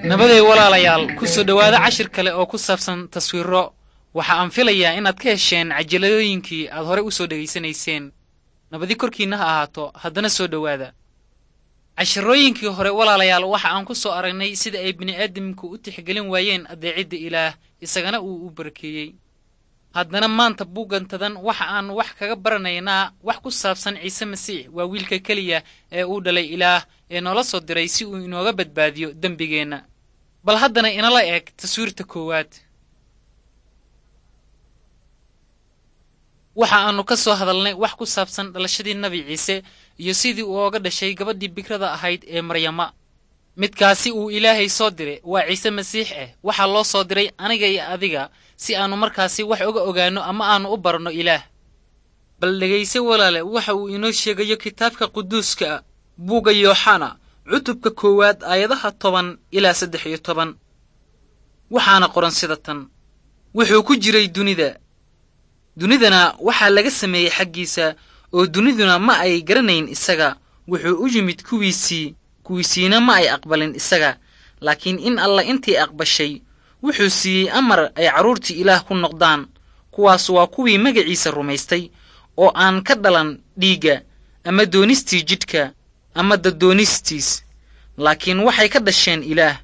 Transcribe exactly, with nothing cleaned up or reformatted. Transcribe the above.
Nabaday walaalayaal, ku soo dhowaada cashir kale oo ku saabsan taswiiro. Waxa aan filayaa inaad ka hesheen cajiladooyinkii aad horey u soo dhegaysanayseen. Nabadi korkiinna ha ahaato, haddana soo dhowaada. Cashirooyinkii hore walaalayaal, waxa aan ku soo aragnay sida ay bini'aadamku u tixgelin waayeen adeecidda Ilaah, isagana uu u barakeeyey. Haddana maanta buuggantadan waxa aan wax kaga baranaynaa wax ku saabsan Ciise Masiix, waa wiilka keliya ee uu dhalay Ilaah ee noola soo diray si uu inooga badbaadiyo dembigeenna. Bal haddana inala eg taswiirta koowaad. Waxa aanu ka soo hadalnay wax ku saabsan dhalashadii Nabi Ciise iyo sidii uu ooga dhashay gabadhii bikrada ahayd ee Maryama. Midkaasi uu Ilaahay soo diray waa Ciise Masiix ah. Waxaa loo soo diray aniga iyo adiga si aanu markaasi wax uga ogaanno ama aanu u baranno Ilaah. Bal dhegayse walaale waxa uu inoo sheegayo kitaabka quduuska ah, buugga Yooxana, cutubka koowaad, aayadaha toban ilaa saddex iyo toban. Waxaana qoran sida tan: wuxuu ku jiray dunida, dunidana waxaa laga sameeyey xaggiisa, oo duniduna ma ay garanayn isaga. Wuxuu u yimid kuwiisii, kuwiisiina ma ay aqbalin isaga. Laakiin in alla intii aqbashay wuxuu siiyey amar ay carruurtii Ilaah ku noqdaan. Kuwaas waa kuwii magaciisa rumaystay, oo aan ka dhalan dhiigga ama doonistii jidhka ama daddoonistiis, laakiin waxay ka dhasheen Ilaah.